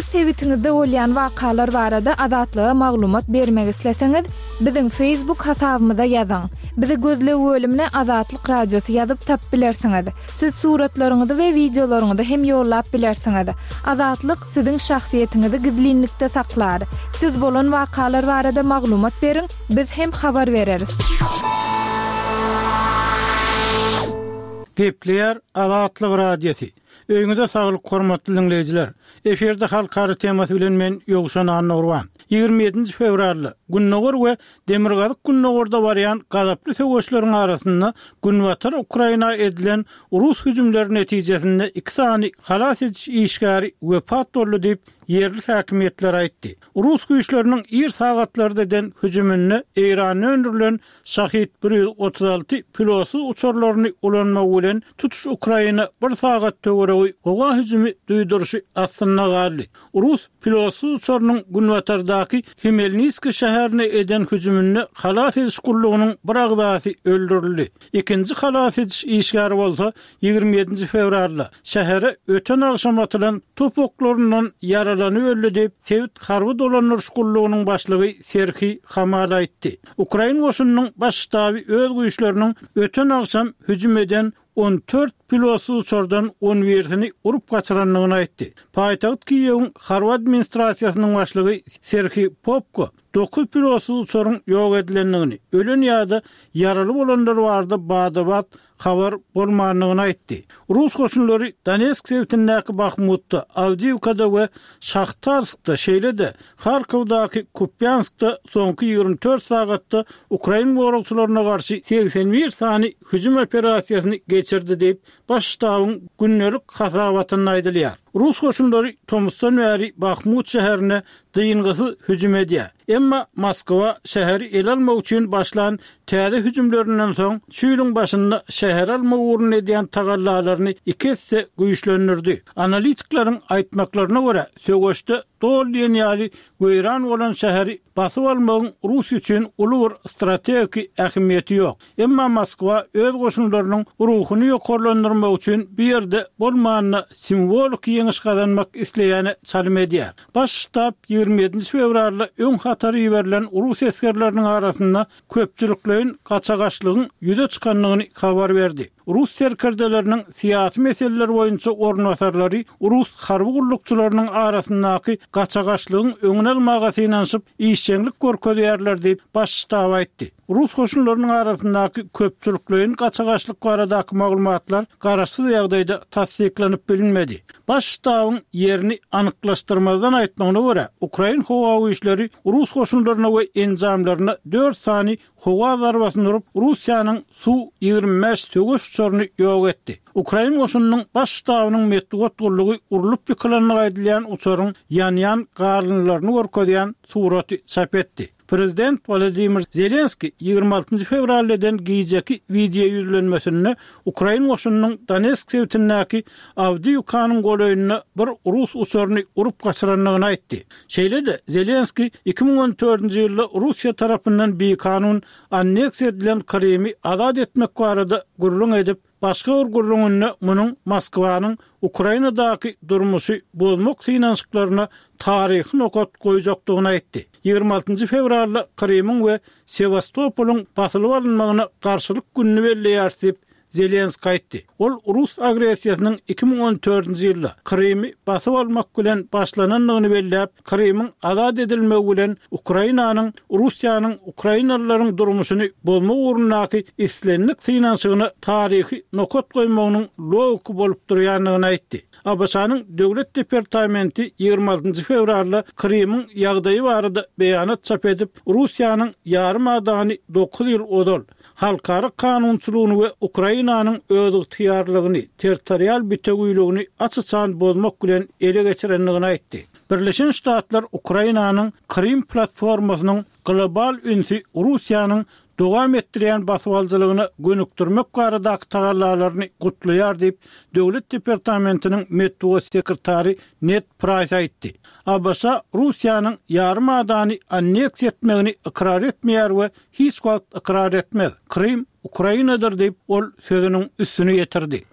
sebitiňizde bolýan wakalar barada Azatlyga maglumat bermek isleseňiz, biziň Facebook hasabymyza ýazyň. Bizi gözleg bölümine Azatlyk Radiosy ýazyp tapyp bilersiňiz. Siz suratlaryňyzy we wideolaryňyzy hem ýollap bilersiňiz. Azatlyk siziň şahsyýetiňizi gizlinlikde saklar. Siz bolan wakalar barada maglumat beriň, biz hem habar bereris. Gepleýär Azatlyk Radiosy. Öýüňize saglyk hormatly diňleýjiler. Efirde halkara temasy bilen men Ýowşan Annagurban. 27-nji fewralda Gündogar we Demirgazyk-Gündogarda barýan gazaply söweşleriň arasynda Günbatar Ukraina edilen rus hüjümleri netijesinde iki sany halas ediş işgäri wepat boldy diýip, ýerli häkimiýetler aýtdy. Rus güýçleriniň ir sagatlarda eden hüjüminde Eýranda öndürilen Şahid 136 pilotsyz uçarlaryny ulanmagy bilen tutuş Ukraina bir sagat töweregi howa hüjümi duýduryşy astynda galdy. Rus pilotsyz uçarynyň günbatardaky Hmelnitskiý şäherine eden hüjüminde halas ediş gullugynyň bir agzasy öldürildi. Ikinji halas ediş işgäri bolsa 27-nji fewralda şähere öten agşam atylan top oklaryndan ýaralanyp öldi diýip, sebit harby dolandyryş gullugynyň başlygy Serhiý Hamal aýtdy. Ukrain goşunynyň Baş ştaby öz güýçleriniň öten agşam hüjüm eden 14 pilotsyz uçardan on birisini urup gaçyrandygyny aýtdy. Paýtagt Kiýewiň harby administrasiýasynyň başlygy Serhiý Popko dokuz pilotsyz uçaryň ýok edilendigini, ölen ýa-da ýaraly bolanlar barada bada-bat habar bolmandygyny aýtdy. Rus goşunlary Donetsk sebitindäki Bahmutda, Awdiýewkada we Şahtarskda, şeýle-de Harkowdaky Kupýanskda soňky 24 sagatda ukrain goragçylaryna garşy 81 sany hüjüm operasiýasyny geçirdi diýip, Baş ştabyň gündelik hasabatynda aýdylýar. Rus goşunlary tomusdan bäri Bahmut şäherine dyngysyz hüjüm edýär. Emma Moskwa şäheri ele almak üçin başlan täze hüjümlerinden soň, şu ýylyň başynda şäheri almak ugrunda edýän tagallalaryny iki esse güýçlendirdi. Analitikleriň aýtmaklaryna görä, söweşde doly diýen ýaly weýran bolan şäheri basyp almagyň Russiýa üçin uly bir strategiki ähmiýeti ýok. Emma Moskwa öz goşunlarynyň ruhuny ýokarlandyrmak üçin bu ýerde bolmanda simwoliki ýeňiş gazanmak isleýäne çalym edýär. Baş ştab 27-nji fewralda öň hatara iberilen rus esgerleriniň arasynda köpçülikleýin gaçagaçlygyň ýüze çykandygyny habar berdi. Rus serkerdeleriniň syýasy meseleler boýunça orunbasarlary rus harby gullukçylarynyň arasyndaky gaçagaçlygyň öňüni almaga synanyşyp, işjeňlik görkezýärler diýip, Baş ştab aýtdy. Rus goşunlarynyň arasyndaky köpçülikleýin gaçagaçlyk baradaky maglumatlar garaşsyz ýagdaýda tassyklanyp bilinmedi. Baş ştabyň ýerini anyklaşdyrmazdan aýtmagyna görä, ukrain howa güýçleri rus goşunlaryna we enjamlaryna dört sany howa zarbasyny urup, Russiýanyň Su 25 söweş uçaryny ýok etdi. Ukrain goşunynyň Baş ştabynyň metbugat gullugy urlup ýykylandygy aýdylýan uçaryň ýanýan galyndylaryny görkezýän suraty çap etdi. Prezident Wolodymyr Zelenskiý 26-njy fewralda eden gijeki wideoýüzlenmesinde ukrain goşunynyň Donetsk sebitindäki Awdiýewkanyň golaýynda bir rus uçaryny urup gaçyrandygyny aýtdy. Şeýle-de, Zelenskiý 2014-nji ýylda Russiýa tarapyndan bikanun anneksiýa edilen Krymy azat etmek barada gürrüň edip, Başga bir gürrüňinde munuň Moskwanyň Ukrainadaky durmuşy bozmak synanyşyklaryna taryhy nokat goýjakdygyny aýtdy. 26-njy fewralda Krymyň we Sewastopolyň basylyp alynmagyna garşylyk gününi belleýäris diýip, Zelenskiý aýtdy. Ol rus agressiýasynyň 2014-nji ýylda Krymy basyp almak bilen başlanandygyny belläp, Krymyň azat edilmegi bilen Ukrainanyň Russiýanyň ukrainalylaryň durmuşyny bozmak ugrundaky islendik synanyşygyna taryhy nokat goýmagynyň logiki bolup durýandygyny aýtdy. ABŞ-nyň Döwlet departamenti 26-njy fewralda Krymyň ýagdaýy barada beýanat çap edip, Russiýanyň ýarym adany dokuz ýyl ozal, halkara kanunçylygyny we Ukrainanyň özygtyýarlygyny, territorial bitewiligini aç-açan bozmak bilen ele geçirendigini aýtdy. Birleşen Ştatlar Ukrainanyň Krym platformasynyň global ünsi Russiýanyň dowam etdirýän basybalyjylygyna gönükdirmek baradaky tagallalaryny gutlaýar diýip, Döwlet departamentiniň metbugat sekretary Ned Praýs aýtdy. ABŞ Russiýanyň ýarym adany anneksiýa etmegini ykrar etmeýär we hiç wagt ykrar etmez. Krym Ukrainadyr diýip, ol sözüniň üstüni ýetirdi.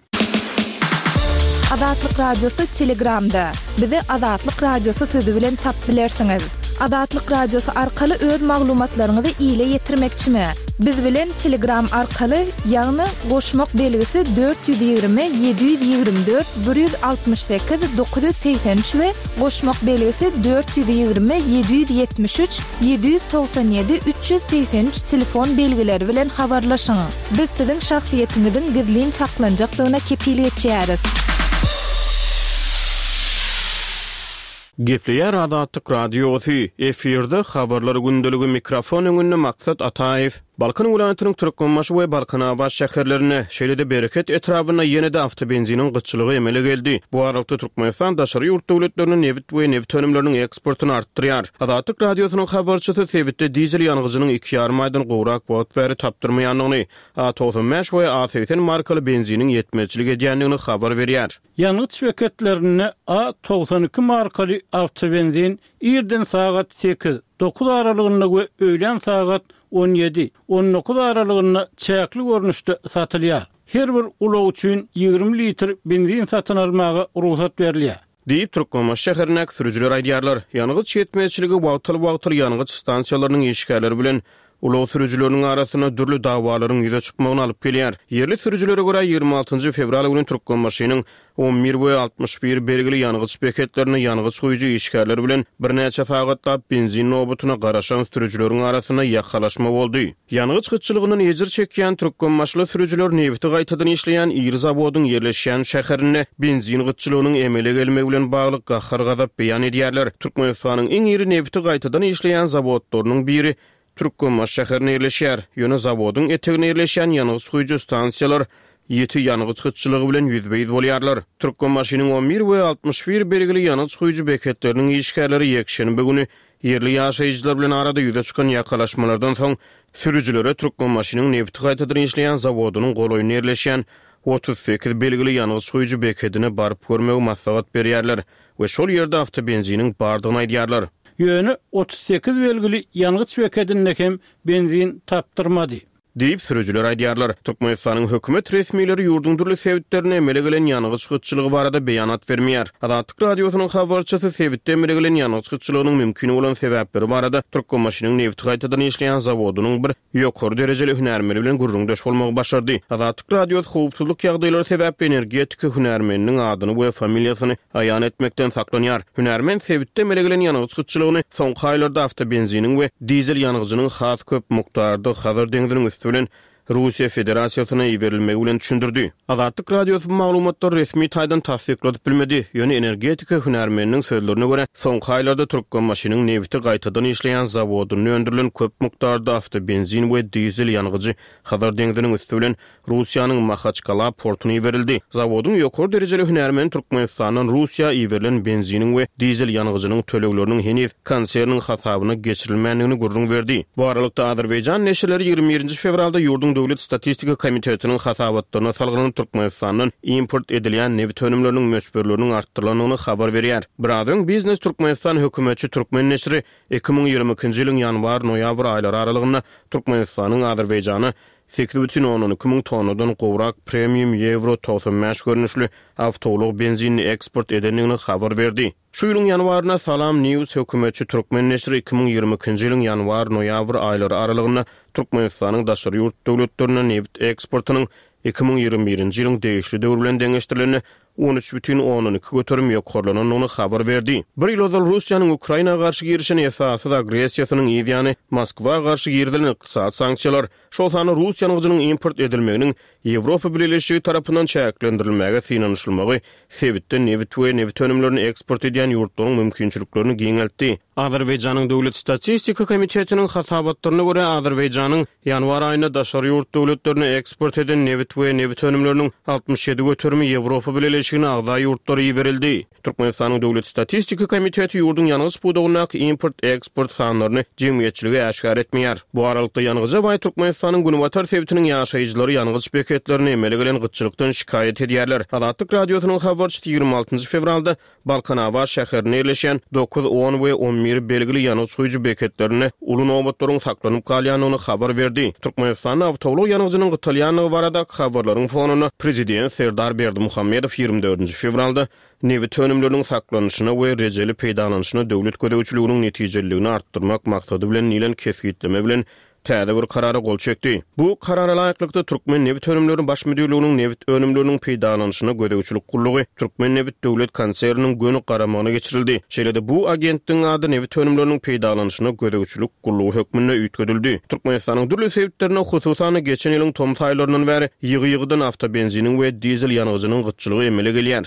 Azatlyk Radiosy Telegramda. Bizi Azatlyk Radiosy sözi bilen tap bilersiňiz. Azatlyk Radiosy arkaly öz maglumatlaryňyzy ile ýetirmekçimi? Biz bilen Telegram arkaly, ýagny goşmak belgisi 420 724 168 983 we goşmak belgisi 420 773 797 383 telefon belgileri bilen habarlaşyň. Biz siziň şahsyýetiňiziň gizlin saklanjakdygyna kepil geçýäris. Gepleýär Azatlyk Radiosy, efirde Habarlar gündeligi mikrofon öňünde Maksat Ataýew. Balkan welaýatynyň Türkmenbaşy we Balkanabat şäherlerinde, şeýle-de Bereket etrabynda ýene-de awtobenziniň gytçylygy emele geldi. Bu aralykda Türkmenistan daşary ýurt döwletlerine nebit we nebit önümleriniň eksportyny artdyrýar. Azatlyk Radiosynyň habarçysy sebitde dizel ýangyjynyň iki ýarym aýdan gowrak wagt bäri tapdyrmaýandygyny, A 95 we A 80 markaly benziniň ýetmezçilik edýändigini habar berýär. Ýangyç beketlerinde A 92 markaly awtobenzin irden sagat sekiz, dokuz aralygynda we öýlän sagat on ýedi, on dokuz aralygynda çäkli görnüşde satylýar. Her bir ulag üçin 20 litr benzin satyn almaga rugsat berilýär. Diýip, Türkmenbaşy şäherindäki sürüjiler aýdýarlar. Ýangyç ýetmezçiligi wagtal-wagtal ýangyç stansiýalarynyň işgärleri bilen ulag sürüjileriniň arasynda dürli dawalaryň ýüze çykmagyna alyp gelýär. Ýerli sürüjilere görä, 26 fewral güni Türkmenbaşynyň 11 we 61 belgili ýangyç beketlerinde ýangyç guýujy işgärler bilen birnäçe sagatlap benzin nobatyna garaşan sürüjileriň arasynda ýakalaşma boldy. Ýangyç gytçylygyndan ejir çekýän türkmenbaşyly sürüjiler nebiti gaýtadan işleýän iri zawodyň ýerleşýän şäherinde benzin gytçylygynyň emele gelmegi bilen bagly gahar-gazap beýan edýärler. Türkmenistanyň iň iri nebiti gaýtadan işleýän zawodlarynyň biri Türkmenbaşy şäherinde ýerleşýär. Ýöne zawodyň eteginde ýerleşýän ýangyç guýujy stansiýalar ýiti ýangyç gytçylygy bilen ýüzbe-ýüz bolýarlar. Türkmenbaşynyň 11 we 61 belgili ýangyç guýujy beketleriniň işgärleri ýekşenbe güni Ýerli ýaşaýjylar bilen arada ýüze çykan ýakalaşmalardan soň, sürüjilere Türkmenbaşynyň nebiti gaýtadan işleýän zawodynyň golaýynda ýerleşýän 38 belgili ýangyç guýujy bekedine baryp görmegi maslahat berýärler we şol ýerde awtobenziniň bardygyny aýdýarlar. Ýöne 38 belgili ýangyç bekedinde hem benzin tapdyrmady. Diýip, sürüjiler aýdýarlar. Türkmenistanyň hökümet resmileri ýurduň dürli sebitlerinde emele gelen ýangyç gytçylygy barada beýanat bermeýär. Azatlyk Radiosynyň habarçysy sebitde emele gelen ýangyç gytçylygynyň mümkin bolan sebäpleri barada Türkmenbaşynyň nebiti gaýtadan işleýän zawodynyň bir ýokary derejeli hünärmeni bilen gürrüňdeş bolmagy başardy. Azatlyk Radiosy howpsuzlyk ýagdaýlary sebäpli energetika hünärmeniniň adyny we familiýasyny aýan etmekden saklanýar. Hünärmen sebitde emele gelen ýangyç gytçylygyny soňky aýlarda awtobenziniň we dizel ýangyjynyň has köp mukdarda Hazar deňziniň üsti bilen Russiýa Federasiýasyna iberilmegi bilen düşündirdi. Azatlyk Radiosy bu maglumatlary resmi taýdan tassykladyp bilmedi, ýöne energetika hünärmeniniň sözlerine görä, soňky aýlarda Türkmenbaşynyň nebiti gaýtadan işleýän zawodynda öndürilen köp mukdarda awtobenzin we dizel ýangyjy Hazar deňziniň üsti bilen Russiýanyň Mahaçkala portuna iberildi. Zawodyň ýokary derejeli hünärmeni Türkmenistandan Russiýa iberilen benziniň we dizel ýangyjynyň tölegleriniň heniz konserniň hasabyna geçirilmändigini gürrüň berdi. Bu aralykda, azerbaýjan neşirleri 21 nji fewralda ýurduň Döwlet statistika komitetiniň hasabatlaryna salgylanyp, Türkmenistandan import edilýän nebit önümleriniň möçberleriniň artdyrylandygyny habar berýär. Biraz öň Biznes Türkmenistan hökümetçi türkmen neşiri 2022-nji ýylyň ýanwar-noýabr aýlary aralygynda Türkmenistanyň Azerbaýjana 8,2 müň tonnadan gowrak premium Ýewro 95 görnüşli awtoulag benzinini eksport edendigini habar berdi. Şu ýylyň ýanwarynda Salam News hökümetçi türkmen neşiri 2022-nji ýylyň ýanwar-noýabr aýlary aralygynda Türkmenistanyň daşary ýurt döwletlerine nebit eksportynyň 2021-nji ýylyň degişli döwri bilen deňeşdirilende 13,2% ýokarlanandygyny habar berdi. Bir ýyl ozal Russiýanyň Ukraina garşy girişen esassyz agressiýasynyň yz ýany Moskwa garşy girizilen ykdysady sanksiýalar, şol sanda rus ýangyjynyň import edilmeginiň Ýewropa Bileleşigi tarapyndan çäklendirilmäge synanyşylmagy sebitde nebit we nebit önümlerini eksport edýän ýurtlaryň mümkinçiliklerini giňeltdi. Azerbaýjanyň Döwlet statistika komitetiniň hasabatlaryna görä, Azerbaýjanyň ýanwar aýynda daşary ýurt döwletlerine eksport eden nebit we nebit önümleriniň 67 göterimi Ýewropa Bileleşigine agza ýurtlara iberildi. Türkmenistanyň Döwlet statistika komiteti ýurduň ýangyç pudagyndaky import-eksport sanlaryny jemgyýetçilige äşgär etmeýär. Bu aralykda, ýangyja baý Türkmenistanyň günbatar sebitiniň ýaşaýjylary ýangyç beketlerinde emele gelen gytçylykdan şikaýat edýärler. Azatlyk Radiosynyň habarçysy 26 fewralda Balkanabat şäherinde ýerleşýän dokuz, on we on bir belgili ýangyç guýujy beketlerinde uly nobatlaryň saklanyp galýandygyny habar berdi. Türkmenistanda awtoulag ýangyjynyň gytalýandygy baradaky habarlaryň fonunda, prezident Serdar Berdimuhamedow 24. 24 nji fewralda nebit önümleriniň saklanyşyna we rejeli peýdalanyşyna döwlet gözegçiliginiň netijeliligini artdyrmak maksady bilen diýlen kesgitleme bilen täze bir Karara gol çekdi. Bu Karara laýyklykda, Türkmennebitönümleri Baş müdirliginiň nebit önümleriniň peýdalanyşyna gözegçilik gullugy Türkmennebit döwlet konserniniň göni garamagyna geçirildi. Şeýle-de bu agentligiň ady nebit önümleriniň peýdalanyşyna gözegçilik gullugy hökmünde üýtgedildi. Türkmenistanyň dürli sebitlerinde, hususan-da, geçen ýylyň tomus aýlaryndan bäri ýygy-ýygydan awtobenziniň we dizel ýangyjynyň gytçylygy emele gelýär.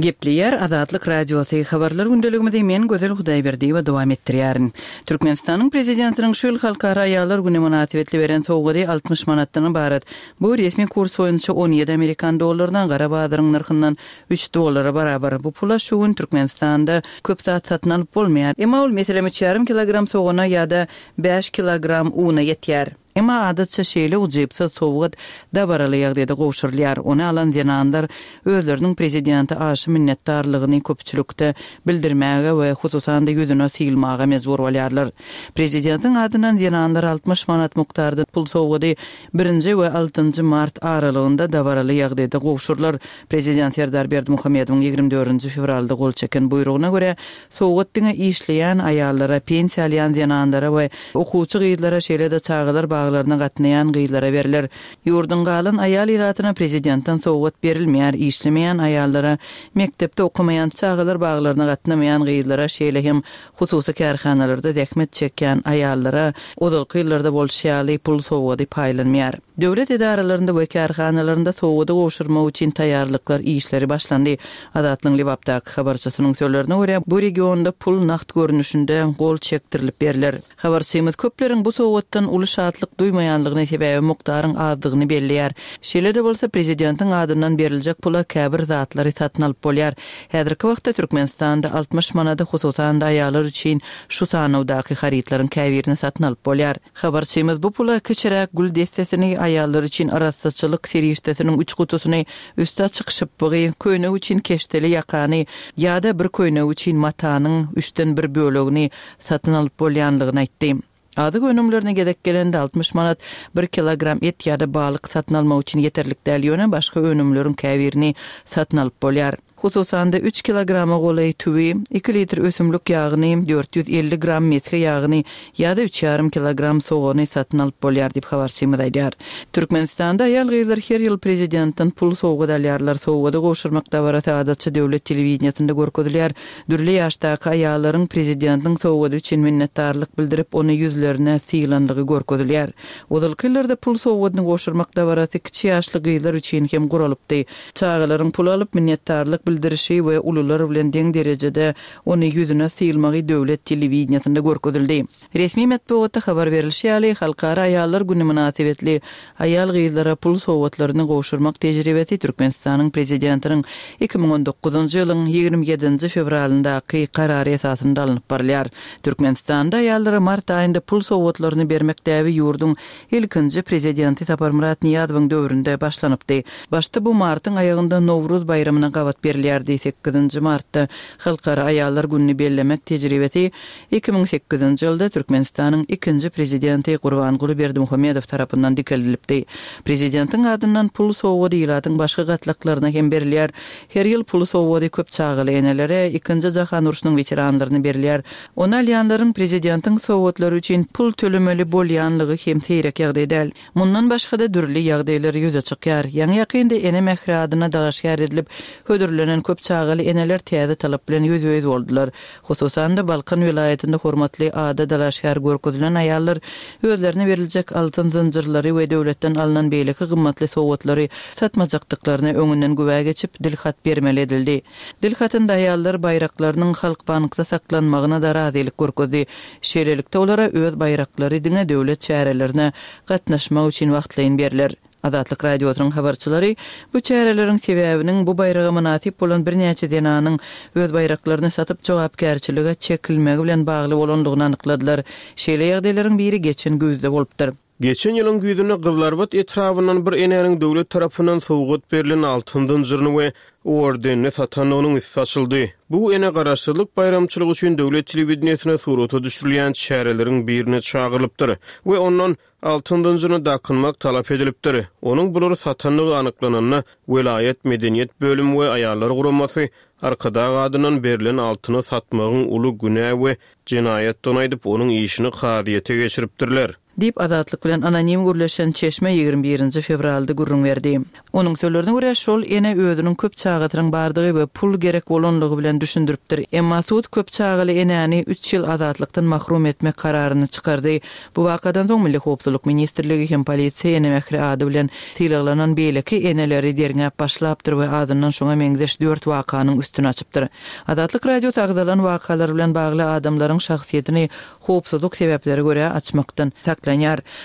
Gepleýär Azatlyk Radiosy, Habarlar gündeligimizi men Gözel Hudaýberdiýewa dowam etdirýärin. Türkmenistanyň Prezidentiniň şu ýyl Halkara aýallar güni mynasybetli beren sowgady 60 manatdan ybarat. Bu resmi kurs boýunça 17 amerikan dollaryna, gara bazaryň nyrhyndan üç dollara barabar. Bu pula şu gün Türkmenistanda köp zat satyn alyp bolmaýar. Emma ol, meselem, üç ýarym kilogram sogana ýa-da bäş kilogram una ýetýär. Emma adatça şeýle ujypsyz sowgat dabaraly ýagdaýda gowşurylýar. Ony alan zenanlar özleriniň prezidente aşa minnetdarlygyny köpçülikde bildirmäge we hususan-da ýüzüne sylmaga mejbur bolýarlar. Prezidentiň adyndan zenanlara 60 manat mukdarda pul sowgady birinji we altynjy mart aralygynda dabaraly ýagdaýda gowşurylar. Prezident Serdar Berdimuhamedowyň 24 fewralda gol çeken buýrugyna görä, Sowgat diňe işleýän aýallara, pensiýa alýan zenanlara we okuwçy gyzlara, şeýle-de çagalar baglaryna gatnaýan gyzlara berler. Ýurduň galan aýal ilatyna prezidentden sowgat berilmeýär, işlemeýän aýallara, mekdepde okamaýan, çagalar baglaryna gatnamaýan gyzlara, şeýle hem hususy kärhanalarda zähmet çekýän aýallara, ozalky ýyllarda bolşy ýaly, pul sowgady paýlanmaýar. Döwlet edaralarynda we kärhanalarynda sowgady gowşurmak üçin taýýarlyklar işleri başlandy. Azatlygyň Lebapdaky habarçysynyň sözlerine görä, bu regionda pul nagt görnüşinde gol çekdirilip berler. Habarçymyz köpleriň bu sowgatdan uly şatlyk duýmaýanlygyny, sebäbi mukdaryň azdygyny belleýär. Şeýle-de bolsa, prezidentiň adyndan beriljek pula käbir zatlary satyn alyp bolýar. Häzirki wagtda Türkmenistanda 60 manada hususan-da aýallar üçin şu sanawdaky harytlaryň käbirini satyn alyp bolýar. Habarçymyz bu pula kiçiräk gül dessesini, aýallar üçin arassaçylyk serişdesiniň üç gutusyny, üsti açyk şypbygy, köýnek üçin keşdeli ýakany ýa-da bir köýnek üçin matanyň üçden bir bölegini satyn alyp bolýanlygyny aýtdy. Azyk önümlerine gezek gelende 60 manat bir kilogram et ýa-da balyk satyn almak üçin ýeterlik däl, ýöne başga önümleriň käbirini satyn alyp bolýar. Hususan-da, üç kilograma golaý tüwi, iki litr ösümlik ýagyny, 450 gram mesge ýagyny ýa-da üç ýarym kilogram sogany satyn alyp bolýar diýip, habarçymyz aýdýar. Türkmenistanda aýal-gyzlar her ýyl prezidentden pul sowgat alýarlar. Sowgady gowşurmak dabarasy adatça döwlet telewideniýesinde görkezilýär. Dürli ýaşdaky aýallaryň prezidentiň sowgady üçin minnetdarlyk bildirip, ony ýüzlerine sylanlygy görkezilýär. Ozalky ýyllarda pul sowgadyny gowşurmak dabarasy kiçi ýaşly gyzlar üçin hem guralypdy. Çagalaryň pul alyp, minnetdarlyk bildirişi we ulular bilen deň derejede ony ýüzüne sylmagy döwlet telewideniýesinde görkezildi. Resmi metbugatda habar berlişi ýaly, Halkara aýallar güni mynasybetli aýal-gyzlara pul sowgatlaryny gowşurmak tejribesi Türkmenistanyň Prezidentiniň 2019-njy ýylyň 27-nji fewralyndaky Karary esasynda alnyp barylýar. Türkmenistanda aýallara mart aýynda pul sowgatlaryny bermek däbi ýurduň Ilkinji prezidenti Saparmyrat Nyýazowyň döwründe başlanypdy. Başda bu martyň aýagynda Nowruz baýramyna gabat berilýärdi. Sekizinji martda Halkara aýallar gününi bellemek tejribesi 2008-nji ýylda Türkmenistanyň ikinji prezidenti Gurbanguly Berdimuhamedow tarapyndan dikeldilipdi. Prezidentiň adyndan pul sowgady ilatyň başga gatlaklaryna hem berilýär. Her ýyl pul sowgady köp çagaly enelere, Ikinji jahan urşunyň weteranlaryna berilýär. Ony alýanlaryň prezidentiň sowgatlary üçin pul tölemeli bolýanlygy hem seýrek ýagdaý däl. Mundan başga-da dürli ýagdaýlar ýüze çykýar. Ýaňy-ýakynda Ene mähri adyna dalaşgär edilip hödürlenen köp çagaly eneler täze talap bilen ýüzbe-ýüz boldular. Hususan-da, Balkan welaýatynda hormatly ada dalaşgär görkezilen aýallar özlerine beriljek altyn zynjyrlary we döwletden alnan beýleki gymmatly sowgatlary satmajakdyklaryna öňünden güwä geçip, dilhat bermeli edildi. Dil hatynda aýallar baýraklarynyň Halkbankda saklanmagyna-da razylyk görkezdi. Şeýlelikde, olara öz baýraklary diňe döwlet çärelerine gatnaşmak üçin wagtlaýyn berler. Azatlyk Radiosynyň habarçylary bu çäreleriň sebäbiniň bu baýraga mynasyp bolan birnäçe zenanyň öz baýraklaryny satyp jogapkärçilige çekilmegi bilen bagly bolandygyny anykladylar. Şeýle ýagdaýlaryň biri geçen güýzde bolupdyr. Geçen ýylyň güýzünde Gyzylarbat etrabyndan bir enäniň döwlet tarapyndan sowgat berlen altyn zynjyryny we ordenini satandygynyň üsti açyldy. Bu ene Garaşsyzlyk baýramçylygy üçin döwlet telewideniýesine surata düşürilýän çäreleriň birine çagyrylypdyr we ondan altyn zynjyryny dakynmak talap edilipdir. Onuň bulary satandygy anyklananda, welaýat medeniýet bölümi we aýallar guramasy Arkadag adyndan berlen altyny satmagyň uly günä we jenaýatdygyny aýdyp, onuň işini kazyýete geçiripdirler. Diýip, Azatlyk bilen anonim gürleşen çeşme 21 nji fewralda gürrüň berdi. Onuň sözlerine görä, şol ene özüniň köp çagasynyň bardygy we pul gerek bolanlygy bilen düşündiripdir. Emma sud köp çagaly enäni üç ýyl azatlykdan mahrum etmek kararyny çykardy. Bu wakadan soň Milli howpsuzlyk ministrligi hem polisiýa Ene mähri ady bilen sylaglanan beýleki eneleri derňäp başlapdyr we azyndan şuňa meňzeş dört wakanyň üstüni açypdyr. Azatlyk Radiosy agzalan wakalar bilen bagly adamlaryň şahsyýetini howpsuzlyk sebäplere görä açmakdan saklanýar.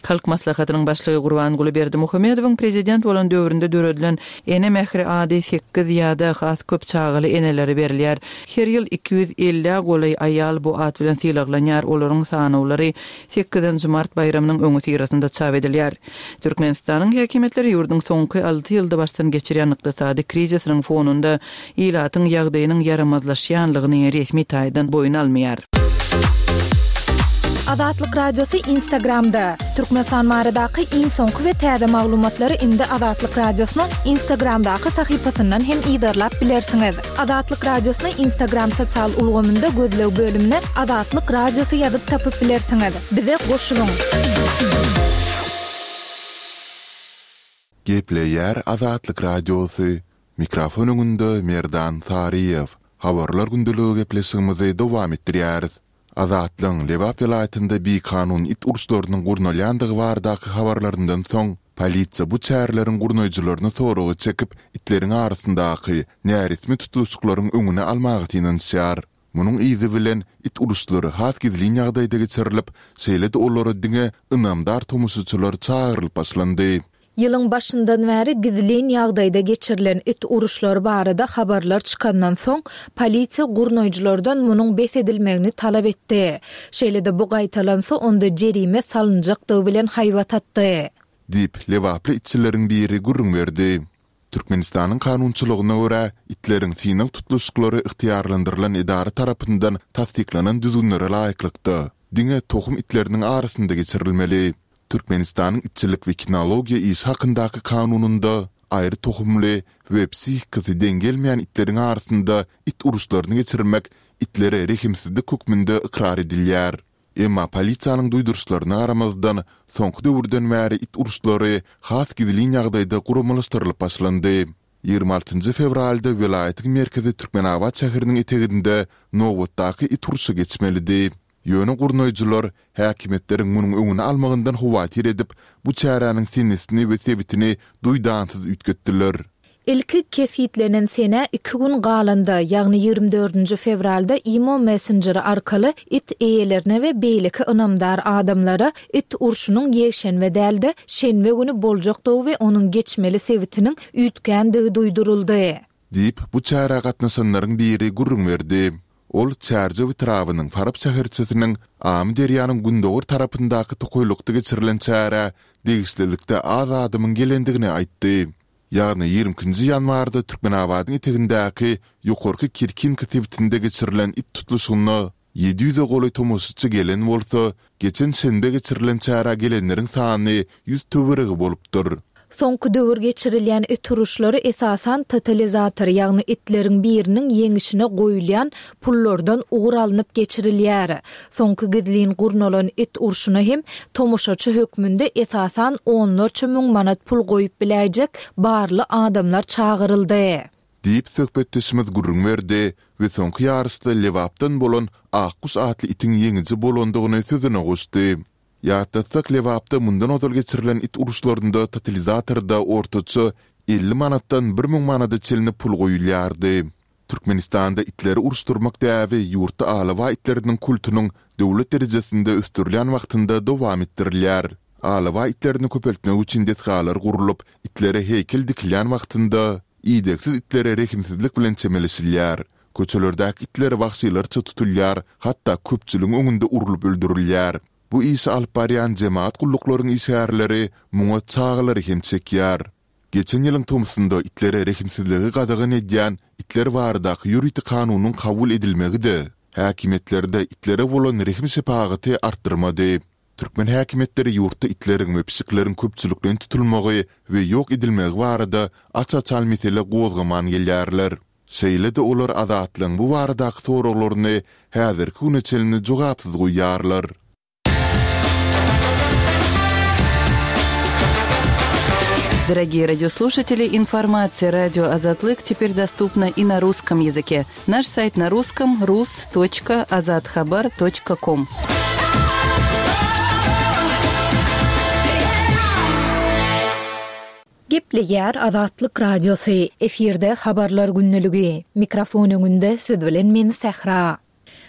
Halk Maslahatynyň Başlygy Gurbanguly Berdimuhamedowyň prezident bolan döwründe döredilen Ene mähri ady sekiz ýa-da has köp çagaly enelere berilýär. Her ýyl 250-ä golaý aýal bu at bilen sylaglanýar, olaryň sanawlary sekizinji mart baýramynyň öňüsyrasynda çap edilýär. Türkmenistanyň häkimiýetleri ýurduň soňky alty ýylda başdan geçirýän ykdysady krizisiniň fonunda ilatyň ýagdaýynyň ýaramazlaşýanlygyny resmi taýdan boýun almaýar. Azatlyk Radiosy Instagramda, Türkmenistan baradaky iň soňky we täze maglumatlary indi Azatlyk Radiosynyň Instagramdaky sahypasyndan hem yzarlap bilersiňiz. Azatlyk Radiosyny Instagram sosial ulgamynda gözleg bölümine Azatlyk Radiosy ýazyp tapyp bilersiňiz. Bize goşulyň! Gepleýär Azatlyk Radiosy, Mikrofon öňünde Merdan Saryýew. Habarlar gündeligi gepleşigimizi dowam etdirýäris. Azatlygyň Lebap welaýatynda bikanun it uruşlarynyň gurnalýandygy baradaky habarlaryndan soň, polisiýa bu çäreleriň gurnaýjylaryny soraga çekip, itleriň arasyndaky näresmi tutluşyklaryň öňüni almaga synanyşýar. Munuň yzy bilen, it uruşlary has gizlin ýagdaýda geçirilip, şeýle-de olara diňe ynamdar tomaşaçylar çagyrylyp başlandy. Ýylyň başyndan bäri gizlin ýagdaýda geçirilen it uruşlary barada habarlar çykandan soň, polisiýa gurnaýjylardan munuň bes edilmegini talap etdi. Şeýle-de bu gaýtalansa, onda jerime salynjakdygy bilen haýbat atdy. Diýip, lebaply itçileriň biri gürrüň berdi. Türkmenistanyň kanunçylygyna görä, itleriň synag tutluşyklary ygtyýarlandyrylan edara tarapyndan tassyklanan düzgünlere laýyklykda, diňe tohum itleriniň arasynda geçirilmeli. Türkmenistanyň itçilik we kinologiýa işi hakyndaky kanunynda aýry tohumly we psihikasy deň gelmeýän itleriň arasynda it uruşlaryny geçirmek itlere rehimsizlik hökmünde ykrar edilýär. Emma polisiýanyň duýduryşlaryna garamazdan, soňky döwürden bäri it uruşlary has gizlin ýagdaýda guramalaşdyrylyp başlandy. 26 fewralda welaýatyň merkezi Türkmenabat şäheriniň eteginde nobatdaky it urşy geçmelidi. Ýöne gurnaýjylar häkimiýetleriň munuň öňüni almagyndan howatyr edip, bu çäräniň senesini we sebitini duýdansyz üýtgetdiler. Ilki kesgitlenen senä iki gün galanda, ýagny 24 nji fewralda imo messenjeri arkaly it eýelerine we beýleki ynamdar adamlara it urşunyň ýekşenbe däl-de, şenbe güni boljakdygy we onuň geçmeli sebitiniň üýtgändigi duýduryldy. Diýip, bu çärä gatnaşanlaryň biri gürrüň berdi. Ol Çärjew etrabynyň Farap şäherçesiniň Amyderýanyň gündogar tarapyndaky tokaýlykda geçirilen çärä degişlilikde az adamyň gelendigini aýtdy. Ýagny 22 nji ýanwarda Türkmenabadyň etegindäki Ýokarky Kirkinka sebitinde geçirilen it tutluşygyna 700-e golaý tomaşaçy gelen bolsa, geçen şenbe geçirilen çärä gelenleriň sany ýüz töweregi bolupdyr. Soňky döwür geçirilýän it uruşlary esasan totalizator, ýagny itleriň biriniň ýeňişine goýulýan pullardan ugur alnyp geçirilýär. Soňky gizlin gurnalan it urşuna hem tomaşaçy hökmünde esasan onlarça müň manat pul goýup biläýjek barly adamlar çagyryldy. Diýip, söhbetdeşimiz gürrüň berdi we soňky ýaryşda Lebapdan bolan Akguş atly itiň ýeňiji bolandygyny sözüne goşdy. Ýatlatsak, Lebapda mundan ozal geçirilen it uruşlarynda totalizatorda ortaça 50 manatdan 1000 manada çenli pul goýulýardy. Türkmenistanda itleri uruşdyrmak däbi ýurtda alabaý itleriniň kultunyň döwlet derejesinde ösdürilýän wagtynda dowam etdirilýär. Alabaý itlerini köpeltmek üçin desgalar gurlup, itlere heýkel dikilýän wagtynda, idegsiz itlere rehimsizlik bilen çemeleşilýär. Köçelerdäki itler wagşylarça tutulýar, hatda köpçüligiň öňünde urlup öldürilýär. Bu işi alyp barýan jemagat gulluklaryň işgärleri muňa çagalary hem çekýär. Geçen ýylyň tomsunda itlere rehimsizligi gadagan edýän itler baradaky ýörite kanunyň kabul edilmegi-de häkimiýetlerde itlere bolan rehim-şepagaty artdyrmady. Türkmen häkimiýetleri ýurtda itleriň we pişikleriň köpçülikleýin tutulmagy we ýok edilmegi barada aç-açan mesele gozgaman gelýärler. Şeýle-de olar Azatlygyň bu baradaky soraglaryny häzirki güne çenli jogapsyz goýýarlar. Дорогие радиослушатели, информация радио Азатлык теперь доступна и на русском языке. Наш сайт на русском rus.azathabar.com. Gepleýär Azatlyk Radiosy, efirde Habarlar gündeligi. Mikrofon öňünde siz bilen men Sähra.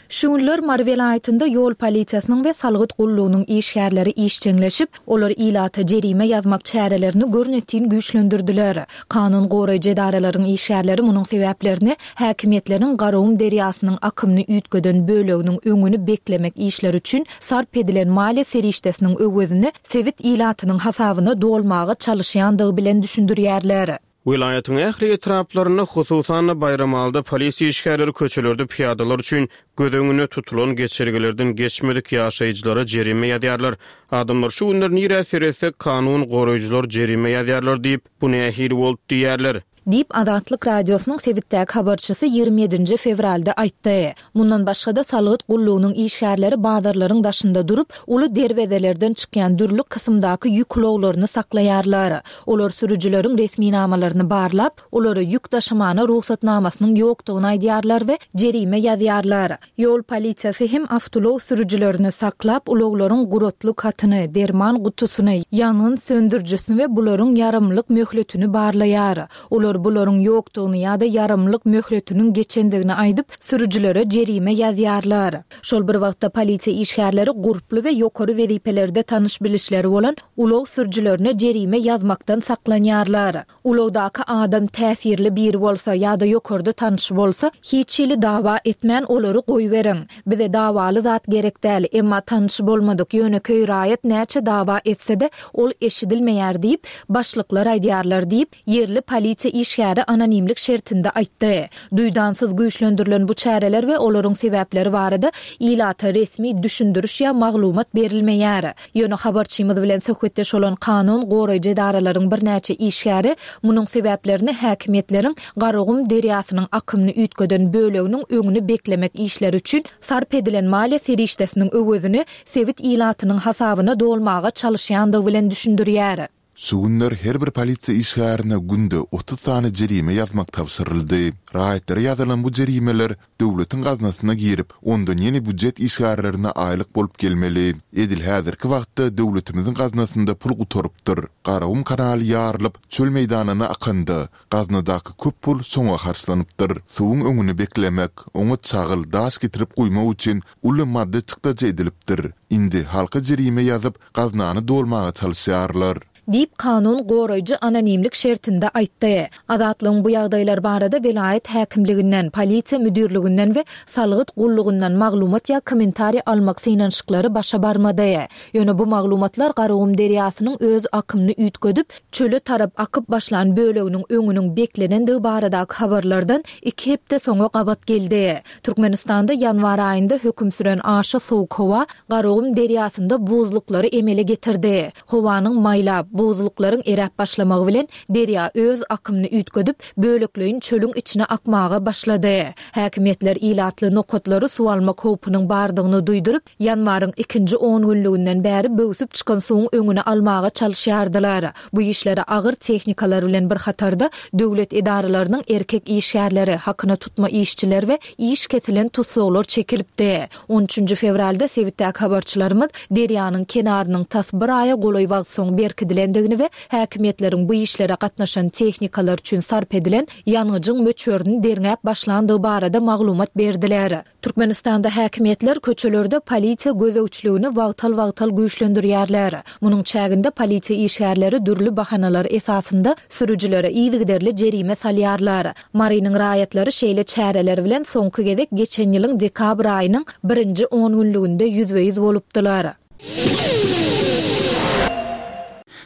Şu günler Mary welaýatynda ýol polisiýasynyň we salgyt gullugynyň işgärleri işjeňleşip, olar ilata jerime ýazmak çärelerini görnetin güýçlendirdiler. Kanun goraýjy edaralaryň işgärleri munuň sebäplerini häkimiýetleriň Garagum derýasynyň akymyny üýtgeden böleginiň öňüni beklemek işleri üçin sarp edilen maliýe serişdesiniň öwezini sebit ilatynyň hasabyna dolmaga çalyşýandygy bilen düşündirýärler. Welaýatyň ähli etraplarynda, hususan-da, Baýramalyda polisiýa işgärleri köçelerde pyýadalar üçin göz öňünde tutulan geçelgelerden geçmedik ýaşaýjylara jerime ýazýarlar. Adamlar şu günler nirä seretsek kanun goraýjylar jerime ýazýarlar diýip, bu nähili boldy diýýärler. Diýip, Azatlyk Radiosynyň sebitdäki habarçysy 27 nji fewralda aýtdy. Mundan başga-da, salgyt gullugynyň işgärleri bazarlaryň daşynda durup, uly derwezelerden çykýan dürli kysymdaky ýük ulaglaryny saklaýarlar. Olar sürüjileriň resminamalaryny barlap, olara ýük daşamana rugsatnamasynyň ýokdugyny aýdýarlar we jerime ýazýarlar. Ýol polisiýasy hem awtoulag sürüjilerini saklap, ulaglaryň guratlyk hatyny, derman gutusyny, ýangyn söndürijisini we bularyň ýaramlylyk möhletini barlaýar. Olar bularyň ýokdugyny ýa-da ýaramlylyk möhletiniň geçendigini aýdyp, sürüjilere jerime ýazýarlar. Şol bir wagtda, polisiýa işgärleri gurply we ýokary wezipelerde tanyş-bilişleri bolan ulag sürüjilerine jerime ýazmakdan saklanýarlar. Ulagdaky adam täsirli biri bolsa ýa-da ýokarda tanyşy bolsa, hiç hili dawa etmän olary goýberiň. Bize dawaly zat gerek däl, emma tanyşy bolmadyk ýönekeý raýat näçe dawa etse-de, ol eşidilmeýär diýip, başlyklar aýdýarlar diýip, ýerli polisiýa işgäri anonimlik şertinde aýtdy. Duýdansyz güýçlendirilen bu çäreler we olaryň sebäpleri barada ilata resmi düşündiriş ýa maglumat berilmeýär. Ýöne habarçymyz bilen söhbetdeş bolan kanun goraýjy edaralaryň birnäçe işgäri munuň sebäplerini häkimiýetleriň Garagum derýasynyň akymyny üýtgeden böleginiň öňüni beklemek işleri üçin sarp edilen maliýe serişdesiniň öwezini sebit ilatynyň hasabyna dolmaga çalyşýandygy bilen düşündirýär. Şu günler her bir polisiýa işgärine günde 30 sany jerime ýazmak tabşyryldy. Raýatlara ýazylan bu jerimeler döwletiň gaznasyna girip, ondan ýene býujet işgärlerine aýlyk bolup gelmeli. Edil häzirki wagtda döwletimiziň gaznasynda pul gutarypdyr. Garagum kanaly ýarylyp, çöl meýdanyna akanda, gaznadaky köp pul şoňa harçlanypdyr. Suwuň öňüni beklemek, oňa çagyl, daş getirip guýmak üçin uly maddy çykdajy edilipdir. Indi halka jerime ýazyp, gaznany dolmaga çalyşýarlar. Diýip, kanun goraýjy anonimlik şertinde aýtdy. Azatlygyň bu ýagdaýlar barada welaýat häkimliginden, polisiýa müdirliginden we salgyt gullugyndan maglumat ýa kommentariý almak synanyşyklary başa barmady. Ýöne bu maglumatlar Garagum derýasynyň öz akymyny üýtgedip, çöle tarap akyp başlan böleginiň öňüniň beklenendigi baradaky habarlardan iki hepde soňa gabat geldi. Türkmenistanda ýanwar aýynda höküm süren aşa sowuk howa Garagum derýasynda buzluklary emele getirdi. Howanyň maýlap, buzluklaryň eräp başlamagy bilen derýa öz akymyny üýtgedip, bölekleýin çölüň içine akmaga başlady. Häkimiýetler ilatly nokatlary suw almak howpunyň bardygyny duýduryp, ýanwaryň ikinji ongünlüginden bäri böwsüp çykan suwuň öňüni almaga çalyşýardylar. Bu işlere agyr tehnikalar bilen bir hatarda döwlet edaralarynyň erkek işgärleri, hakyna tutma işçiler we iş kesilen tussaglar çekilipdi. On üçünji fewralda sebitdäki habarçylarymyz derýanyň kenarynyň tas bir aýa golaý wagt soň berkidilendigini we häkimiýetleriň bu işlere gatnaşan tehnikalar üçin sarp edilen ýangyjyň möçberini derňäp başlandygy barada maglumat berdiler. Türkmenistanda häkimiýetler köçelerde polisiýa gözegçiligini wagtal-wagtal güýçlendirýärler. Munuň çäginde polisiýa işgärleri dürli bahanalar esasynda sürüjilere yzygiderli jerime salýarlar. Marynyň raýatlary şeýle çäreler bilen soňky gezek geçen ýylyň dekabr aýynyň birinji ongünlüginde ýüzbe-ýüz bolupdylar.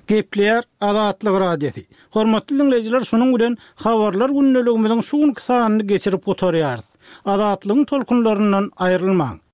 Gepleýär Azatlyk Radiosy. Hormatly diňleýjiler, şunuň bilen Habarlar gündeligimiziň şu günki sanyny geçirip gutarýarys. Azatlygyň tolkunlaryndan aýrylmaň!